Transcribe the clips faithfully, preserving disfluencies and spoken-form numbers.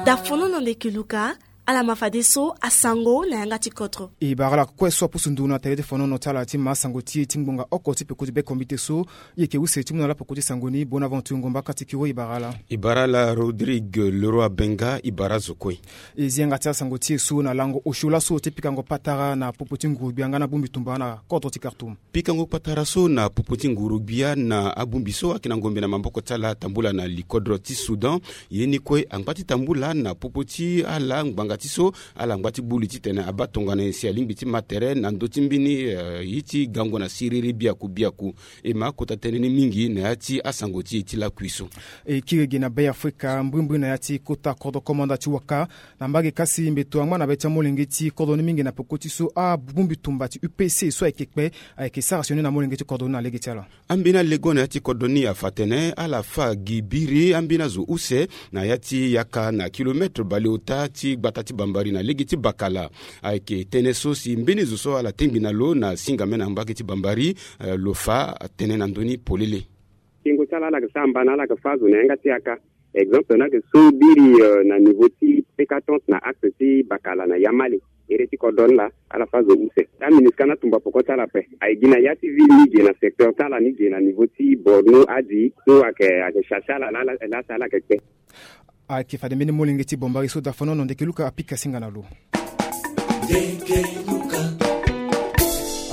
Dafono na ndeke luka. Ala ma fadeso asango na yanga ti kodro. E bara ala kue so apusu nduru na tere ti fonono ti ala ti ma sango ti e ti ngbonga oko ti peko ti bekombite so. E yeke use ti mu na ala peko ti sango ni. Bonaventure Ngomba kati kiro e bara ala. E bara ala Rodrigue Leroy Benga, e bara azo kue. E zi yanga ti asango ti e so na lango osio laso ti pikango patara na popo ti nguru-gbia nga na bongbi tumba na kodro ti Khartoum. Pikango patara so na popo ti nguru-gbia na abongbi so ayeke na ngombe na maboko ti ala atambula na likodro ti Soudan. Ye ni kue angba ti tambula na popo ti ala ngbanga ti so ala ngba ti buli titene abaa tongana nyen si alingbi ti ma tere na ndö ti mbeni, eh, ye ti gango na siriri biaku biaku. E ma akota tënë ni mingi na ya ti asango ti e ti lakui so. E kiri ge na Be Afrika mbrimbri na ya ti kota kodro komanda ti waka na mbage kasi mbeto angba na be ti amolenge ti kodro ni mingi na peko ti so abongbi tumba ti U P C so ayeke kpe ayeke sara sioni na molenge ti kodro ni na lege ti ala. Ambeni alego na ya ti kodro ni afa tene ala fa gi biri ambeni azo use na ya ti yaka na kilometre baleota ti gbata ti Bambari na lege ti Bakala. Ayeke tënë so si mbeni zo so ala tengbi na lo na singame na mbage ti Bambari, eh, lo fa tënë na ndö ni polele. Tengo ti ala ala yeke sara mba na ala yeke fa azo na yanga ti yaka. Exemple na yeke so biri, eh, na niveau ti pécatante na axe ti Bakala na Yamale. Ere ti kodro ni laa ala fa azo use. Ti aMINUSCA ni atumba poko ti ala ape. Aye gi na ya ti ville ni ge na secteur ti ala ni ge na niveau ti Borno adi so ayeke, ayeke chercher ala laa, laa si ala yeke kpe. Ayeke fade mbeni molenge ti Bambari so dafono na ndeke luka apika singa na lo.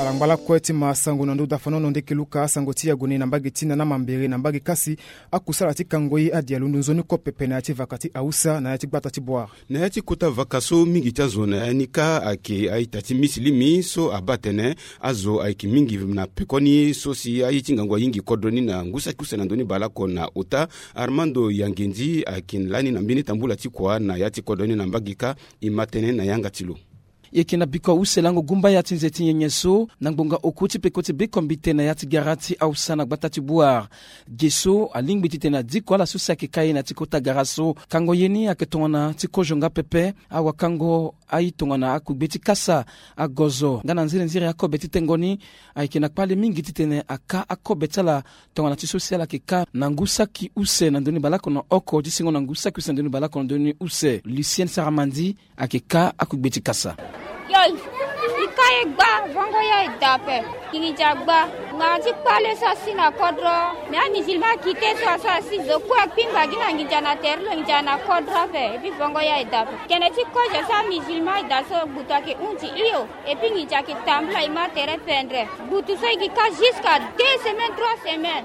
Ala ngba lakue ti ma sango na ndö dafono na ndeke luka asango ti yago ni na mbage ti nana mambere na mbage kasi. Akusala ti kango ye adi alondo nzoni kue pepe na ya ti vaka ti Hausa na ya ti gbata ti Bouar. Na ya ti kota vaka so mingi ti azo na ya ni kâ ayeke a-ita ti misilimi so abaa atene azo ayeke mingi na pekoni so si aye ti ngangu ayingi kodro ni na ngu saki use na ndö ni baleoko na ota. Armando Yangendi ayeke lani na mbeni tambula ti kua na ya ti kodro ni na mbage kâ. E ma tënë na yanga ti lo. E yeke na bikua use lango gumbaya ti nze ti nyenye so na ngbonga oku ti peko ti bekombite na ya ti gara ti Hausa na gbata ti Bouar. Ge so alingbi titene adiko ala so si ayeke ka ye na ya ti kota gara so. Kango ye ni ayeke tongana ti kozo nga pepe. Awakango aye tongana akugbe ti kasa, agozo nga na nziri nziri akobe ti tengo ni. Ayeke na kpale mingi titene aka akobe ti ala tongana ti so si ala yeke ka na ngu saki use na ndö ni baleoko na oko ti sengo na ngu saki use na ndö ni baleoko na ndö ni use. Lucienne Saramandi ayeke ka akugbe ti kasa. Yo, e ka e gba, vongo ya e da ape. Nginza gba. Ngbanga ti kpale so asi na kodro. Me amusulman akite so aso asi zo kue akpingba gi na nginza na tere lo nginza na kodro ape. Epi vongo ya e da ape. Tene ti kozo so amusulman e da so gbutu ayeke hunzi hio. Epi nginza ayeke tambula e ma tere pendre. Gbutu so e yeke ka jusqu'à deux semaines, trois semaines.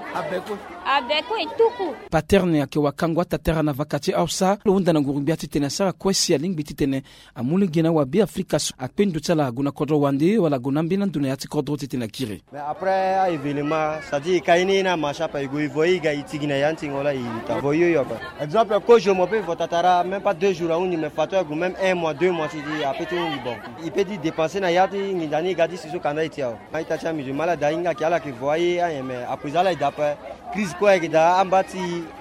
Abe kue e tuku. Paterne ayeke wakango atatara na vaka ti Hausa lo hunda na nguru-gbia titene asara kue si alingbi titene amu lege na awabe Afrika so akpe ndo ti ala ague na kodro wande wala ague na ambeni ando na ya ti kodro titene akiri. Mais après a-événement, c'est-à-dire e ka ye ni na marché ape, e gue e vo ye e ga e tigi na ya ti tingo laa e ta vo hio hio ape. Exemple kozo mo pe e vo tatara même pas deux jours ahunzi, mais fato e gue même un mois, deux mois ti di ape ti hunzi bon. E pe ti dépenser na ya ti nginza ni e ga ti si so kanda e ti awe. A-ita ti amusulman ala da ahinga ayeke ala yeke vo aye ayen, mais après ala e da ape. Crise kue ayeke daa amba ti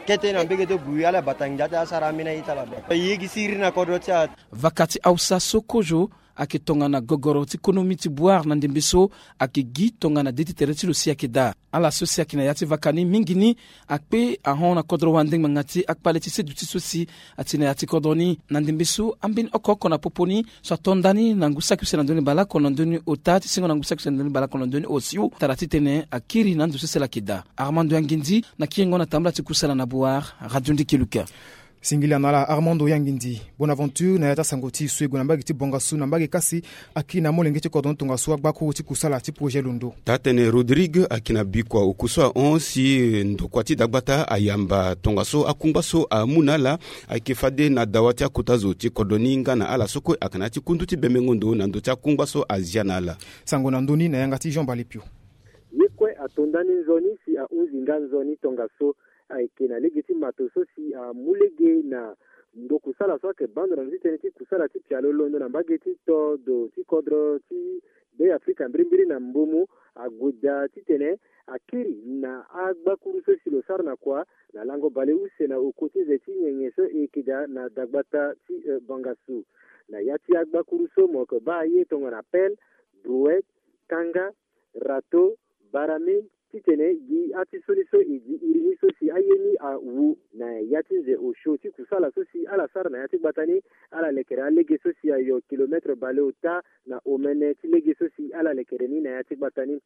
kete na mbege ti bui ala bata nginza ti asara ambeni aye ti ala be. E ye gi siriri na kodro ti a. Vaka ti Hausa so kozo ayeke tongana gogoro ti konomi ti Bouar na ndembe so ayeke gi tongana de ti tere ti lo si ayeke daa. Ala so si ayeke na ya ti vaka ni mingi ni akpe ahon na kodro wande ngbanga ti akpale ti seduti so si ati na ya ti kodro ni. Na ndembe so ambeni oko oko na popo ni so ato nda ni na ngu saki use na ndö ni baleoko na ndö ni ota ti sengo na ngu saki use na ndö ni baleoko na ndö ni osio tara titene akiri na ando so si ala yeke daa. Armando Yangendi na kiringo na tambula ti kusala na Bouar, Radio Ndeke Luka. Singila na ala Armando Yangendi. Bonaventure na ya ti asango ti e so e gue na mbage ti Bangassou na mbage kasi akiri na molenge ti kodro ni tongaso agbakuru ti kusala ti projet londo. Taa-tënë Rodrigue ayeke na bikua oku so ahon si ndokua ti dagbata ayamba tongaso akungba so amu na ala ayeke fade na dawa ti akota zo ti kodro ni nga na ala so kue ayeke na ya ti kundu ti bembengo ndo na ndö ti akungba so azia na ala. Sango na ndö ni na yanga ti Jean Balipio. Ye kue ato nda ni nzoni si ahunzi nga nzoni tongaso ayeke na lege ti mato so si amu lege na ndokusala so ayeke baa ndo na ndö ti tënë ti kusala ti pialo londo na mbage ti todo ti kodro ti Be Afrika mbirimbiri na Mbomou ague daa titene akiri na agbakuru so si lo sara na kua na lango bale use na oko ti nze ti nyenye so e yeke daa na dagbata ti, eh, Bangassou. Na ya ti agbakuru so mo yeke baa aye tongana pelle, brouette, kanga, râteau, baramine, titene gi atiso ni so e gi iri ni so si aye ni awu na ya ti nze osio ti kusala so si ala sara na ya ti gbata ni. Ala lekere alege so si ayo kilometre baleota na omene ti lege so si ala lekere ni na ya ti gbata ni.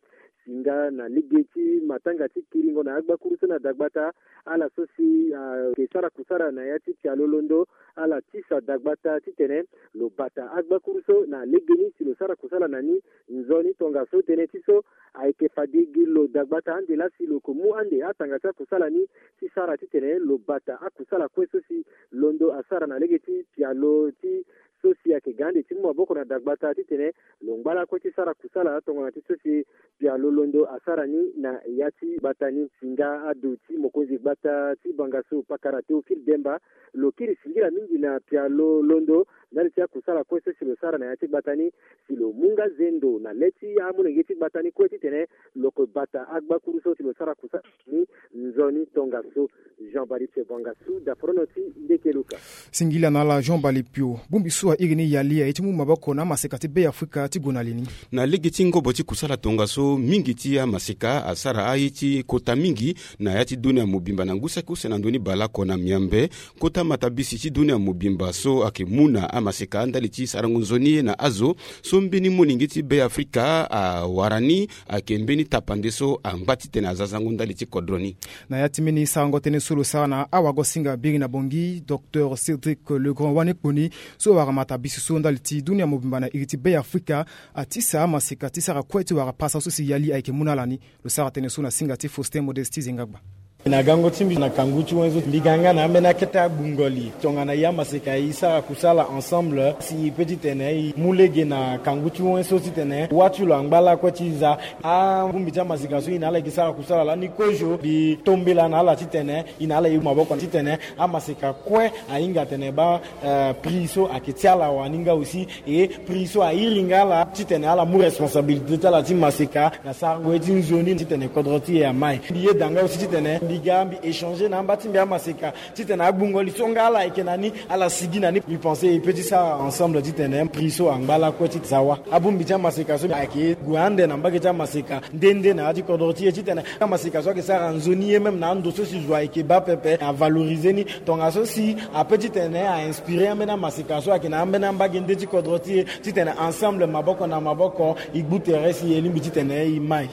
Singa na lege ti matanga ti kiringo na agbakuru so na dagbata, ala so si ayeke sara kusala na ya ti pialo londo, ala tisa dagbata titene lo bata agbakuru so na legeni si lo sara kusala na ni. Nzoni tongaso tënë ti so ayeke fade gi lo dagbata ande laa si lo yeke mu ande atanga ti akusala ni ti sara titene lo bata akusala kue so si londo asara na lege ti pialo ti so si ayeke ga ande ti mu maboko na dagbata titene lo ngba lakue ti sara kusala tongana ti so si pialo londo asara ni na ya ti gbata ni. Singa ado ti mokonzi gbata ti bangaso pakara Théophile Demba, lo kiri singila mingi na pialo londo ndali ti akusala kue so si lo sara na ya ti gbata ni, si lo mu nga zendo na le ti amolenge ti gbata ni kue titene lo yeke bata agbakuru so si lo sara kusala ni. Nzoni tongaso, Jean Balipe Bongasu, daporono ti Ndeke Luka. Singila na ala Jean Balipio. Bongbi so airi ni yali aye ti mu maboko na amaseka ti Be Afrika ti gue na li ni. Na lege ti ngobo ti kusala tongaso, mingi ti amaseka asara aye ti kota mingi na ya ti dunia mobimba na ngu saki use na ndö ni baleoko na miambe. Kota matabisi ti dunia mobimba so ayeke mu na amaseka ndali ti sarango nzoni ye na azo so mbeni molenge ti Be Afrika awara ni, ayeke mbeni tapande so angba titene aza zango ndali ti kodro ni. Na ya ti mbeni sarango tënë so lo sara na awagosinga biri na Bangui, Docteur Cédric Legrand Wanekponi, so awara matabisi so ndali ti dunia mobimba na iri ti Be Afrika, atisa amaseka ti sara kue ti wara pasa so si yali ayeke mu na ala ni. Lo sara tënë so na singa ti Faustin Modeste Zengagba. Na gango ti mbi na kangu ti wenzo mbi ga nga na ambeni akete agbungo li tongana e amaseka e sara kusala ensemble si e pe titene e mu lege na kangu ti wenso titene wâ ti lo angba lakue ti za. Abongbi ti amaseka so e na ala e ke sara kusala lani kozo mbi tombela na ala titene e na ala e mu maboko titene amaseka kue ahinga atene baa, eh, prix so ayeke ti ala wani nga aussi. E prix so airi nga ala titene ala mu responsabilité ti ala ti maseka na sarango ye ti nzoni titene kodro ti e amai. Mbi yeda nga aussi titene mbi ga mbi échanger na amba ti mbi amaseka titene agbungo li so nga ala ayeke na ni, ala sigi na ni. Mbi pense e pe ti sara ensemble titene prix so angba lakue ti za wâ. Abongbi ti amaseka so ayeke gue ande na mbage ti amaseka nde nde na ya ti kodro ti e titene amaseka so ayeke sara nzoni ye même na ando so si zo ayeke baa pepe avaloriser ni. Tongaso si ape titene a inspirer ambeni amaseka so ayeke na ambeni ambage nde ti kodro ti e titene ensemble maboko na maboko e gbu tere si e lingbi titene e mai.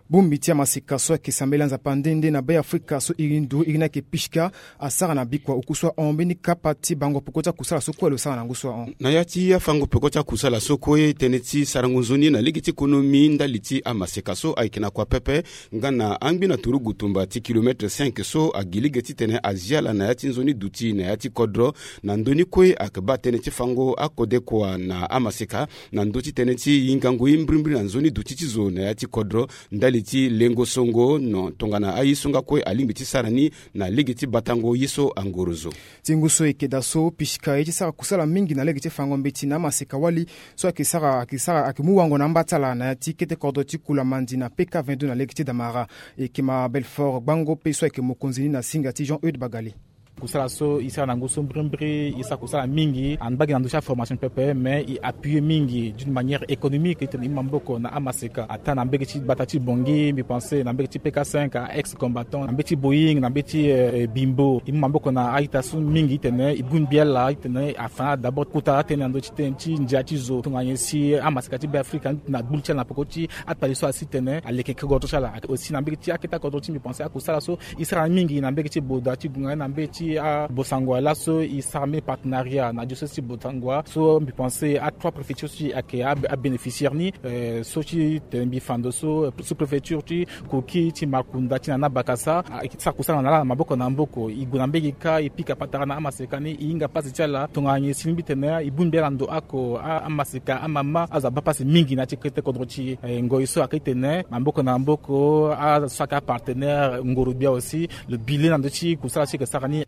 Bongbi ti amaseka so ayeke sambela nzapa nde nde na Be Afrika so iri nduru iri ni ayeke Pishka asara na bikua oku so ahon mbeni kapa ti bango peko ti akusala so kue lo sara na ngu so ahon. Na ya ti afango peko ti akusala so kue tënë ti sarango nzoni na lege ti konomi ndali ti amaseka so ayeke na kua pepe nga na angbi na turugu tumba ti kilometre cinq so agi lege titene azia ala na ya ti nzoni duti na ya ti kodro. Na ndö ni kue ayeke baa tënë ti fango akodekua na amaseka na ndö ti tënë ti hingango ye mbirimbiri na nzoni duti ti zo na ya ti kodro ndali ti lengo songo no tongana aye so nga kue alingbi ti sara ni na lege ti batango ye so angoro zo. Ti ngu so e yeke daa so Pishka aye ti sara kusala mingi na lege ti fango mbeti na amaseka wali so ayeke sara ayeke sara ayeke mu wango na amba ti ala na ya ti kete kodro ti Kulamandi na P K vingt-deux na lege ti Damara. E yeke ma Belfort Gbango pe so ayeke mokonzi ni na singa ti Jean Eude Bagale. Kusala so e sara na ngu so mbirimbiri e sara kusala mingi, ambage na ndö ti aformation pepe mais e appuyer mingi d'une manière économique titene e mu maboko na amaseka ataa na mbage ti gbata ti Bangui, mbi pense na mbage ti P K cinq, a ex combattant na mbage ti Boeing na mbage ti, eh, Bimbo. E mu maboko na a-ita so mingi titene e bongbi ala titene afa na ala d'abord kota atënë na ndö ti tënë ti ndia ti zo tongana nyen si amaseka ti Be Afrika na gbu li ti ala na peko ti atali so asi titene aleke kodro ti ala. Aussi na mbage ti akete akodro ti mbi pense akusala so e sara mingi na mbage ti Boda ti gue nga na mbage ti, ah, Bossangoa laso e sara mbeni partenariat na diocèse ti Bossangoa so mbi pense a trois préfectures ti ayeke abénéficiaire ni, eh, so ti tene mbi fa ndo so, eh, sous-préfecture ti Koki, ti Markounda, ti na na Bakasa, ah, e sara kusala na ala na maboko na maboko. E gue na mbage kâ e pika patara na amaseka ni e hinga pasi ti ala tongana nyen si e lingbi titene e bongbi ala na ndo oko, ah, amaseka amama azo abaa pasi mingi na ya ti kete kodro ti e. Eh, ngoi so ayeke titene maboko na maboko azo so ayeke apartenaire ngoro gbia aussi lo bi le na ndö ti kusala so e yeke sara ni.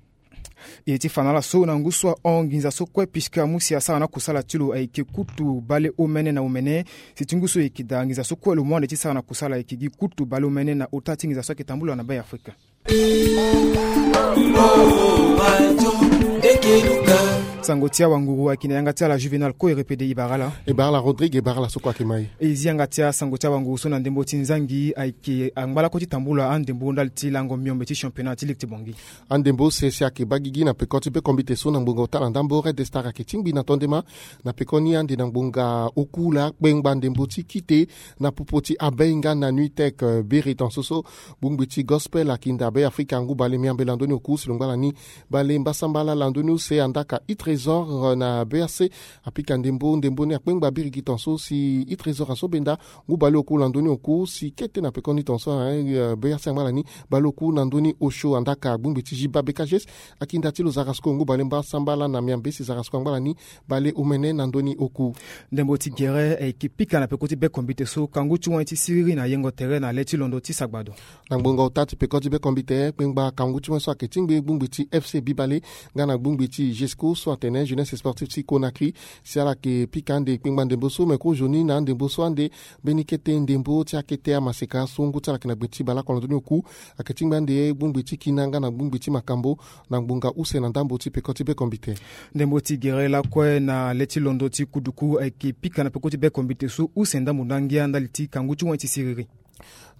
E ti fa na ala so na ngu so ahon nginza so kue Pishka mu si asara na kusala ti lo ayeke kutu baleomene na omene. Si ti ngu so e yeke daa nginza so kue lo mu ande ti sara na kusala ayeke gi kutu baleomene na ota ti nginza so ayeke tambula na Be Afrika. Sango ti awanguru ayeke na yanga ti ala Juvenal Koerepede, e bara ala. E bara ala Rodrigue, e bara ala so kue ayeke ma e. E zi yanga ti asango ti awanguru so na ndembo ti nzangi ayeke angba lakue ti tambula andembo ndali ti lango miombe ti championnat ti ligue ti Bangui. Andembo use si ayeke baa gigi na peko ti bekombite so na ngbonga ota na ndambo. Red Star ayeke tingbi na tondema na peko ni ande na ngbonga oku laa kpengba ndembo ti kite na popo ti Abei nga na Nuitech, eh, biri tonso so bongbi ti Gospel akinda Abei Afrika ngu bale miambe landoni oku si lo ngba lani bale mbasambala landoni use andaka i Trésor, eh, na B R C apika ndembo, ndembo ni akpengba biri gi tonso si i Trésor aso benda ngu bale oku landoni oku si kete na pekoni tonso, eh, eh, B R C angba lani bale oku na ndoni osio andaka gbongbi ti Jiba B K G S akinda ti lo zarasko ngu bale mbasambala na miambe si zarasko angba lani bale omene na ndoni oku. Ndembo ti gere, eh, ayeke pika na peko ti bekombite so kangu ti wen ti siriri na yengo tere na le ti londo ti sagbado. Na ngbonga ota ti peko ti bekombite kpengba kangu ti wen so ayeke tingbi gbongbi ti F C Bibale nga na gbongbi ti Jesco so atene Jeunesse Sportive ti Conakry si ala yeke pika ande kpengba ndembo so me kozoni na andembo so ande mbeni kete ndembo ti akete amaseka so ngu ti ala yeke na gbe ti bale oko na ndoni oku. Ayeke tingbi ande gbongbi ti kina nga na gbongbi ti makambo na ngbonga use na ndambo ti peko ti bekombite. Ndembo ti gere lakue na le ti londo ti kuduku ayeke pika na peko ti bekombite so use ndambo ndangia ndali ti kangu ti wen ti siriri.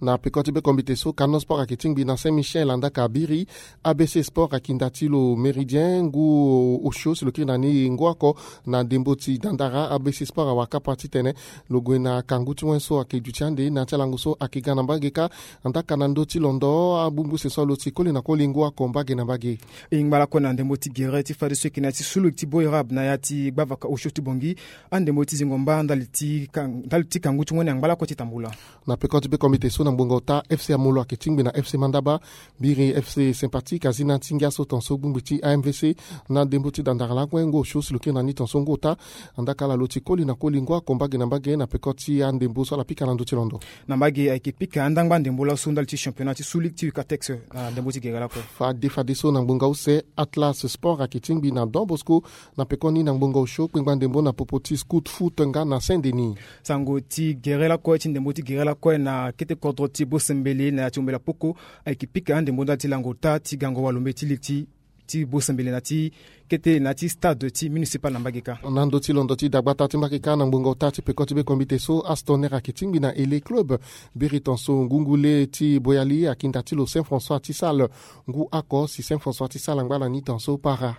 Na peko ti bekombite so Kano Sport ayeke tingbi na Saint Michel andaka biri. A B C Sport akinda ti lo Méridien ngu osio si lo kiri na ni ngu oko na ndembo ti dandara. A B C Sport awara kapa titene lo gue na kangu ti wen so ayeke duti ande na ya ti alango so ayeke ga na mbage kâ. Andaka na ndö ti londo abungbuse so alo ti koli na koli ngu oko mbage na mbage. E ngba lakue na ndembo ti gere ti fadeso eke na ya ti sulu ti Boirab na ya ti gbavaka osio ti Bangui andembo ti zingo mba ndali ti kan-, ndali ti kangu ti wen angba lakue ti tambula. Na peko ti bekombite so na ngbonga ota F C Amolo ayeke tingbi na F C Mandaba. Biri F C Sympathique azi na ti ngia so tonso gbongbi ti A M V C na ndembo ti dandara lakue ngu osio si lo kiri na ni tonso ngu ota. Andaka ala lo ti koli na koli ngu oko mbage na mbage na peko ti andembo so ala pika na ndö ti londo. Na mbage ayeke pika andangba ndembo laso ndali ti championnat ti sulu ti Ucatex na ndembo ti gere lakue. Fade fadeso na ngbonga use Atlas Sport ayeke tingbi na Don Bosco na pekoni na ngbonga osio kpengba ndembo na popo ti Scoot Foot nga na Saint Denis. Sango ti gere lakue ti ndembo ti gere lakue na kete kodro ti Bosembele na ya ti Ombela Poko ayeke pika andembo ndali ti lango ota ti gango walombe ti li ti, ti Bosembele na ti kete na ti stade ti municipal na mbage kâ. Na ndö ti londo ti dagbata ti mbage kâ na ngbonga ota ti peko ti bekombite so Aston Air ayeke tingbi na Ele Club. Biri tonso ngungu le ti Boyali akinda ti lo Saint François ti Sales ngu oko si Saint François ti Sales angba lani tonso para.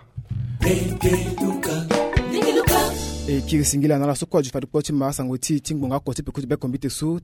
E kiri singila na ala so kue azo fade kpo ti ma asango ti, ti ngbonga oko ti peko ti bekombite so.